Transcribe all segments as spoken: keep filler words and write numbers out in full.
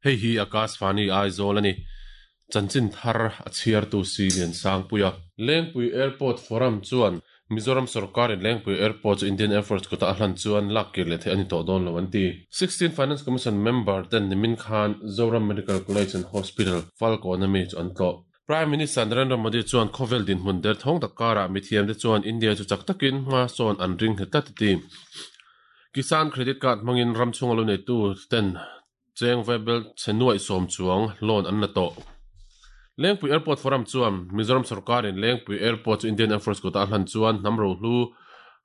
Hei hi Akashvani Aizawl ani. Chanchin thar a chhiar tu si lian Sangpuia. Lengpui Airport Forum chuan Mizoram sarkarin Lengpui Airport chu Indian Air Force kuta a hlan chuan lak kir leh theih a ni tawh dawn lo an ti. Sixteen Finance Commission member ten nimin khan Zoram Medical College and Hospital Falkawn ami chu an tlawh. Prime Minister Narendra Modi chuan khawvel dinhmun der thawng tak karah mithiam te chuan India chu chak takin hma sawn an ring nghet tlat a ti. Kisan Credit Card hmangin ram chhunga lo neitu ten cheng vaibel chhe nuaih sawm chuang loan an la tawh. Lengpui Airport Forum chuan Mizoram sarkarin Lengpui Airport chu Indian Air Force kuta a hlan chuan hnam rohlu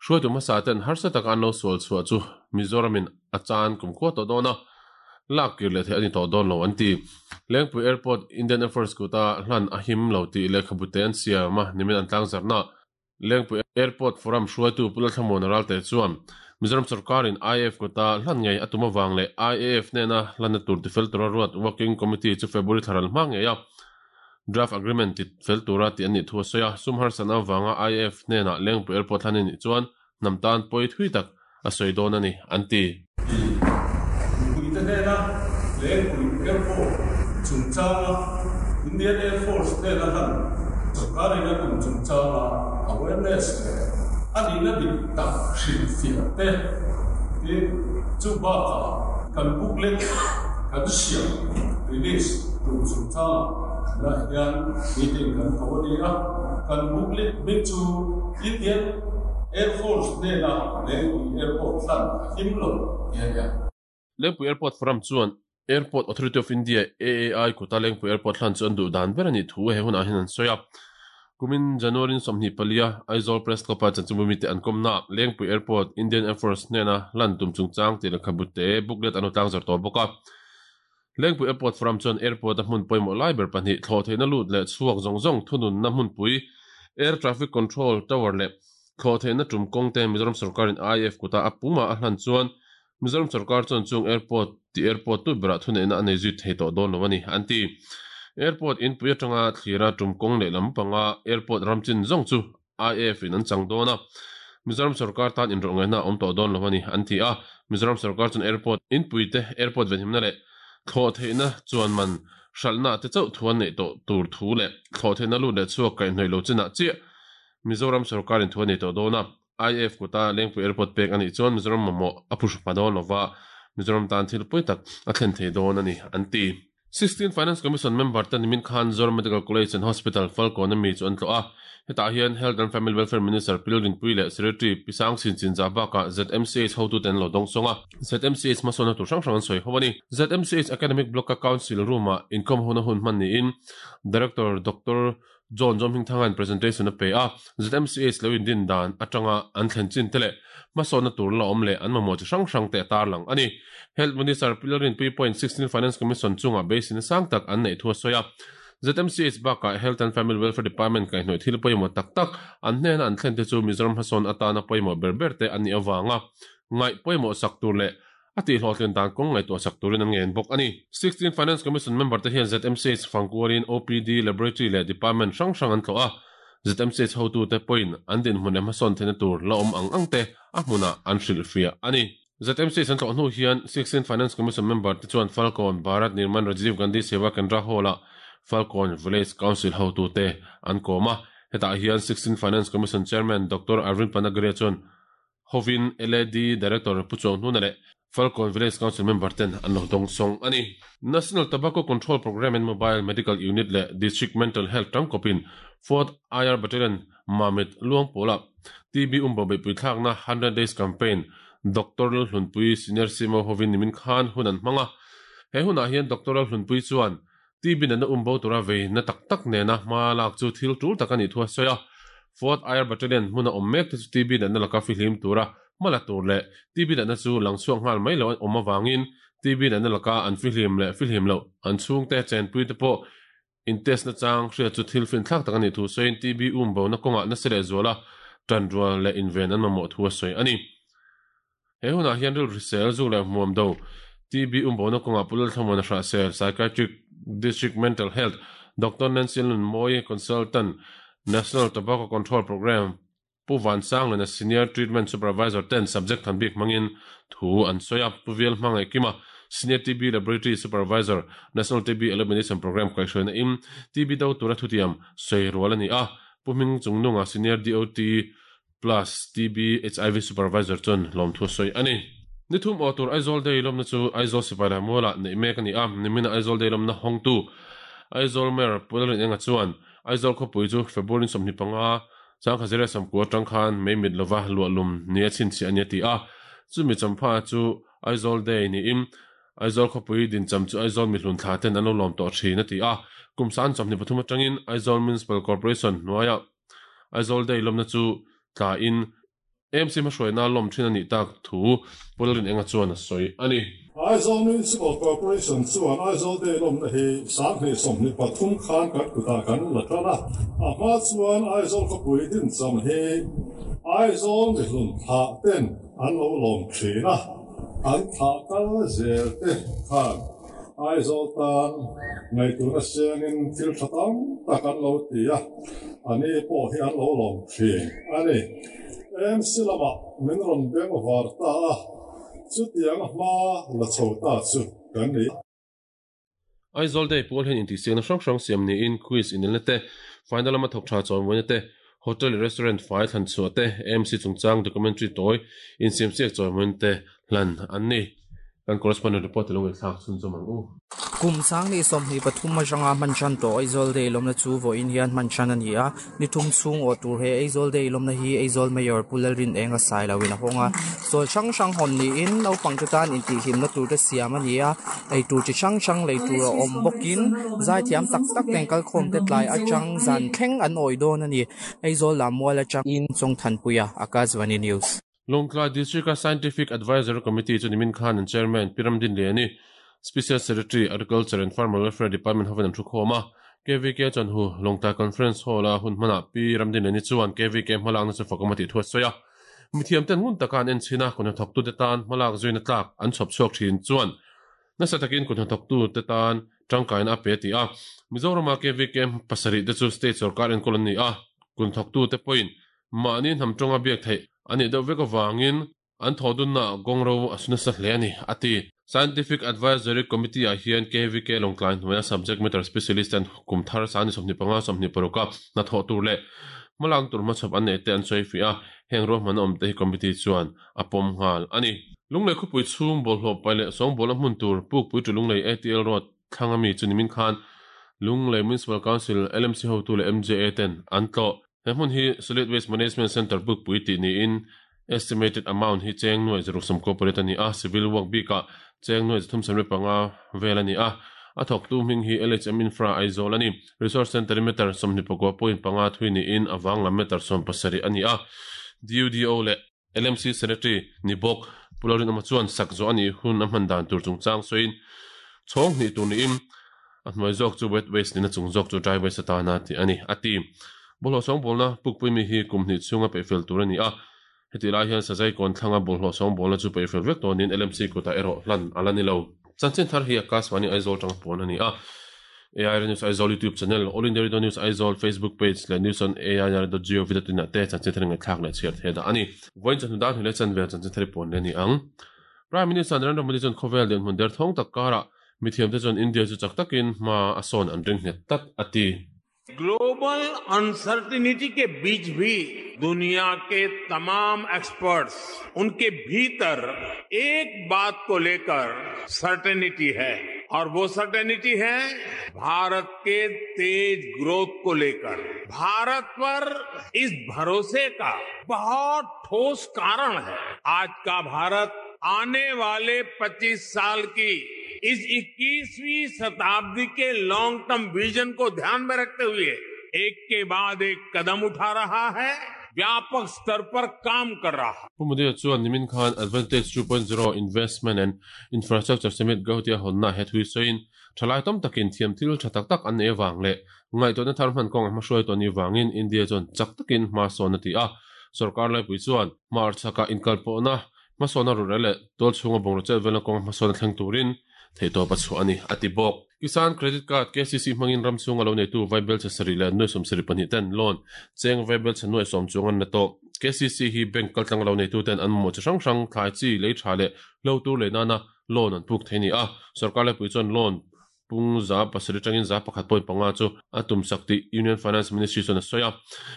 hruaitu hmasa ten harsa taka an lo sual chhuah chu Mizoramin a chan kum khua tawh dawn a, lak kir leh theih a ni tawh dawn lo an ti. Lengpui Airport Indian Air Force kuta hlan a him lo tih lehkhabu te an siam a, nimin an tlang zarhna. Lengpui Airport Forum hruaitu Pu Lalthlamuan Ralte chuan Mizoram sarkarin I A F kuta hlan ngei a tum avang leh I A F hnena hlanna tur tifel tura ruat Working Committee chu February thlaral hma ngei a draft agreement ti fel tura tih an nih thu a sawi a. Sum harsan avanga I A F hnena Lengpui Airport hlan a nih chuan hnam tan pawi thui tak a sawi dawn a ni an ti. Mipuite hnena Lengpui Airport chungchanga Indian Air Force hnena hlan sarkarin a tum chungchanga awareness leh a nihna dik tak hrilh fiah te tin chu bakah kan booklet kan siam release tur chungchanga tunah hian meeting kan ko a ni a. Kan booklet hming chu Indian Air Force hnena Lengpui Airport hlan a him lo tih a ni a. Lengpui Airport Forum chuan Airport Authority of India A A I kuta Lengpui Airport hlan chu an duh dan ber a nih thu he hunah hian an sawi a. Kumin January sawmhnih palia Aizawl Press Club-a chanchinbu mite an kawmna Lengpui Airport Indian Air Force hnena hlan tum chungchang tih lehkhabu te booklet an lo tlang zar tawh bawk a. Lengpui Airport Forum chuan airport a hmun pawimawh lai ber pahnih thlawh theihna lut leh chhuak zawng zawng thununna hmunpui Air Traffic Control Tower leh thlawh theihna tum kawng te Mizoram sarkarin I A F kuta a puma a hlan chuan Mizoram sarkar chuan chung airport ti airport tu berah thuneihna a nei zui thei tawh dawn lo a ni an ti. Airport inpui atanga thlira tum kawng leh lampanga airport ramchin zawng chu I A F in an chang dawn a. Mizoram sarkar tan inrawh ngaihna a awm tawh dawn lo a ni an ti a. Mizoram sarkar chuan airport inpui te airport venhimna leh thlawh theihna chuan man hralhna te chauh thu an neih tawh tur thu leh thlawh theihna lut leh chhuak kaihhnawih lo chinah chiah Mizoram sarkarin thu a nei tawh dawn a. I A F kuta Lengpui Airport pek a nih chuan Mizoram mamawh a phu hma dawn lova Mizoram tan thil pawi tak a thlen thei dawn a ni an ti. Sixteen Finance Commission member te nimin khan Zoram Medical College and Hospital Falkawn ami chu an tlawh a. Hetah hian Health and Family Welfare Minister Pi Rinpui leh Secretary Pi Sang Chin Chin Za bakah Z M C H hotu te an lo dawng sawng a. Z M C H hmasawnna tur hrang hrang an sawi ho a ni. Z M C H Academic Block-a Council Room-ah inkhawm hona hun hman niin Director Doctor John Zawm Hmingthanga'n presentation a pe a. Z M C H lo indin dan atanga an thlen chin te leh hmasawnna tur la awm leh an mamawh chi hrang hrang te a tarlang a ni. Health Minister Pi Rinpui point sixteen Finance Commission chungah beisina sang tak an neih thu a sawi a. Z M C H bakah Health and Family Welfare Department kaihhnawih thil pawimawh tak tak an hnena an thlen te chu Mizoram hmasawn atana pawimawh ber ber te an nih avanga ngaih pawimawh sak tur leh a tihhlawhtlin dan kawng ngaihtuah sak turin an ngen bawk a ni. Sixteen Finance Commission member te hian Z M C H fangkuarin O P D, Laboratory leh Department hrang hrang an tlawh a. Z M C H hotu te pawhin an dinhmun leh hmasawn theihna tur la awm ang ang te a hmunah an hrilh fiah a ni. Z M C H an tlawh hnu hian Sixteen Finance Commission member te chuan Falkawn Bharat Nirman Rajiv Gandhi Seva Kendra Hall-ah Falkawn Village Council hotu te an kawm a. Hetah hian Sixteen Finance Commission Chairman Doctor Arvind Panagariya chuan Hovin L A D Director Pu Chuang Hnuna leh Falkawn Village Council member ten an lo dawng sawng a ni. National Tobacco Control Programme and Mobile Medical Unit leh District Mental Health tangkawpin Fourth I R Battalion Mamit Luangpawla T B umbo beihpui thlakna hundred Days Campaign Doctor Hlunpui Senior C M O hovin nimin khan hun an hmang a. He hunah hian Doctor Hlunpui chuan T B nana umbo tura vei na tak tak nena hma lak chu thil tul tak a nih thu a sawi a. Fourth I R Battalion hmuna awm mek te chu T B nana laka fihlim tura hmala tur leh T B nana chu lang chhuak nghal mai lo an awm awangin T B nana laka an fihlim leh fihlim lo an chhung te chenpui te pawh in test na chang hria chu thil fin thlak tak a nih thu sawiin T B umbo na kawngah na se leh zuala tan rual leh inven an mamawh thu a sawi a ni. He hunah hian ril hrisel zu leh hmuam do T B umbo na kawngah Pu Lalthlamuan a hrah sel Psychiatric District Mental Health Doctor Nancy Lunmoy Consultant National Tobacco Control Program Pu Van Sang lena Senior Treatment Supervisor ten subject than bik mangin thu an soya Pu Viel hmangai kima Senior T B Laboratory Supervisor National T B Elimination Program kaihhruaina im T B do tura thutiam soi rual ani a Pu Hming Chungnunga Senior D O T plus T B H I V Supervisor chon lom thu soi ani nithum autor Aizawl Day lomna chu Aizawl sipai la muala nei mek ani a nimina Aizawl Day lomna hongtu Aizawl Mayor Pulrin enga chuan Aizawl khawpui chu February sawmhnih panga changkha zira samkua tangkhan mei mit lova luahlum nia chin chi ania ti a chumi champha chu Aizawl Day ni im Aizawl khawpui din cham chu Aizawl mihlun thla ten an lo lawm tawh thin a ti a kumsan chawmhnih pathum atangin Aizawl Municipal Corporation hnuaia Aizawl Day lomna chu tla in M C hmahruaina lawm thin ani tak thu Pulrin enga chuan a sawi ani Aizawl Municipal Corporation chuan Aizawl Day lawmna hi sanghnih sawmhnih pathum khan kan kutah kan la tan a a hma chuan Aizawl khawpui din cham hi Aizawl mihlun thla ten an lo lawm thin a an thla kal zel te khan Aizawl tan ngaihtuahna siangin thil tha tam tak an lo ti a ani pawh hi an lo lawm thin ani M C lama min rawn beng var ta a chutiang hma la chho ta chu kan ni Aizawl Day pawl hian intihsiakna hrang hrang siam niin quiz inelna te final lama thawk tha chawimawi te hotel restaurant fai thlan chhuah te M C chungchang documentary tawi insiamsiak chawimawi te hlan an ni kan correspondent report lo ngai thlak chun chawm ang u kum sang ni sawmhnih pathum atanga hman than tawh Aizawl Day lawmna chu vawiin hian hman than ani a ni thum chhung aw tur he Aizawl Day lawmna hi Aizawl Mayor Pulrin enga sai loin a hawnga chawl hrang hrang hawn niin naupang te tan intihhlimna tur te siam ani a ei tur chi hrang hrang lei tur a awm bawkin zai thiam tak tak ten kalkhawm te tlai atang zan thleng an awi dawn ani Aizawl Lammual atang in Chawngthanpuia Akashvani News Longtlai District Scientific Advisory Committee chu nimin khan an chairman Piramdin Liani Special Secretary Agriculture and Farmer Welfare Department hoven an thu khawm a K V K chuan hu Longtlai Conference Hall a hun hmana Pi Ramdin Liani chuan K V K hmalakna chu fakawm a tih thu a sawi a mithiam ten ngun taka an en chhin a kun hnathawktu te tan hmalak zuina tlak an chhawp chhuak thin chuan nasa takin kun hnathawktu te tan tangkaina a pe ti a Mizorama K V K pasarih te chu state sarkar enkawl an ni a kun thawktu te pawhin mahni hnam tawnga biak theih ani deuh vek awangin an thodunna gongro asuna sa hle ani ati Scientific Advisory Committee a hian K V K Longtlai hnuaia subject matter specialist an kumthar sani sawmhnih panga sawmhnih paruka na thawh tur leh hmalang tur hmachhawp an nei te an sawi fi a heng ruahman awm te hi committee chuan a pawm nghal ani Lunglei khawpui chhung bawlhhlawh pai leh sawngbawl a hmun tur pukpui tu Lunglei A T L Road thlanga mi chu nimin khan Lunglei Municipal Council L M C hotu leh M J A ten an tlawh he hmun hi Solid Waste Management Center pukpui tih niin estimated amount hi cheng nuai zaruk sawm corporate ani a civil work bika cheng nuai zathum samre panga vel ani a a thawk tu hming hi L H M Infra Aizawl ani Resource Center meter sawmhnih pakua point panga thui niin awang lam meter sawm pasarih ani a D U D O leh L M C Secretary ni bawk Pularin ama chuan sak zo ani hun a hman dan tur chungchang sawiin chhawng hnih tur niin a hnuai zawk chu wet waste nina chung zawk chu dry waste atana tih ani a ti bawlhhlawh sawngbawlna pukpui mi hi kum hnih chhunga peihfel tur ani a heti lai hian sazai kawn thlanga bawlhhlawh sawngbawlna chu peihfel vek tawnin L M C kutah erawh hlan ala ni lo chanchin thar hi Akashvani Aizawl tang pawn ani a A I R News Aizawl YouTube channel All India Radio News Aizawl Facebook page leh news on A I R dot gov dot in te chanchin thar ngai thlak leh chhiar the da ani voin chan dan hle chan vel chanchin thar pawn le ni ang Prime Minister Narendra Modi chuan khawvel den hmun der thong tak kara mithiam te chuan India chu chak takin hma a sawn an ring nghet tat ati global uncertainty के बीच भी दुनिया के तमाम experts उनके भीतर एक बात को लेकर सर्टेनिटी है और वो सर्टेनिटी है भारत के तेज ग्रोथ को लेकर। भारत पर इस भरोसे का बहुत ठोस कारण है। आज का भारत आने वाले पच्चीस साल की इस इक्कीसवीं शताब्दी के long term vision को ध्यान में रखते हुए एक के बाद एक कदम उठा रहा है, व्यापक स्तर पर काम कर रहा है। Modi chuan nimin khan Advantage two point zero Investment and Infrastructure Summit Gautia honna het hui soin thalai tom takin thiam thil tha tak tak an e wang le ngai to na thar man kong ma hroi to ni wangin India chon chak takin ma son ati a sarkar lai pui chuan mar chaka inkal po na ma sona ru rele tol chunga bongro chel vela kong ma son thleng turin theito pa chu ani ati bok Kisan Credit Card K C C mangin ram chunga lo nei tu Vaibel cha sari le noi som sari pahnih ten loan cheng Vaibel cha noi som chungan na to K K C C hi bank kaltlang lo nei tu ten an mo chi hrang hrang thlai chi lei tha le lo tur le nana loan an puk thei ni a sarkar le pui chuan loan pung za pasari tangin za pakhat point panga chu atum sakti Union Finance Ministry chuan a sawi a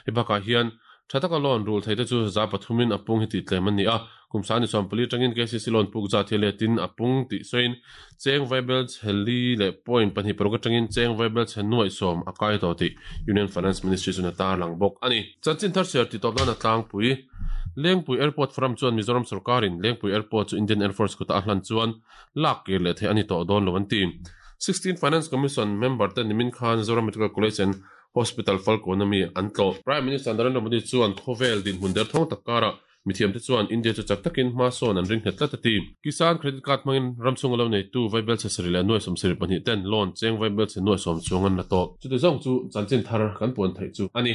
he bakah hian thataka loan rule theite chu za pathumin apung hi ti tlem ani a kumsani chuan pali tangin K C C loan puk za thele tin apung ti soin cheng vaibel cheli le point pahnih paruk atangin cheng vaibel chen nuai som akai to ti Union Finance Ministry chuan a tar lang bawk ani chanchin thar share ti tawp na tlangpui Lengpui Airport Forum chuan Mizoram sarkarin Lengpui Airport chu Indian Air Force khuta a hlan chuan lak kir leh thei ani tawh dawn lo an ti sixteen Finance Commission member te nimin khan Zoram Medical College and Hospital Falconami antlo Prime Minister Narendra Modi chuan khovel din hun der thong takara mithiam te chuan India chu chak takin hma sawn an ring nghet tlat a ti Kisan credit card hmangin ramchung lo nei tu vaibel che sari le nuai som sari pahnih ten loan cheng vaibel che nuai som chuang an la tawh chu te zawng chu chanchin thar kan puan theih chu ani.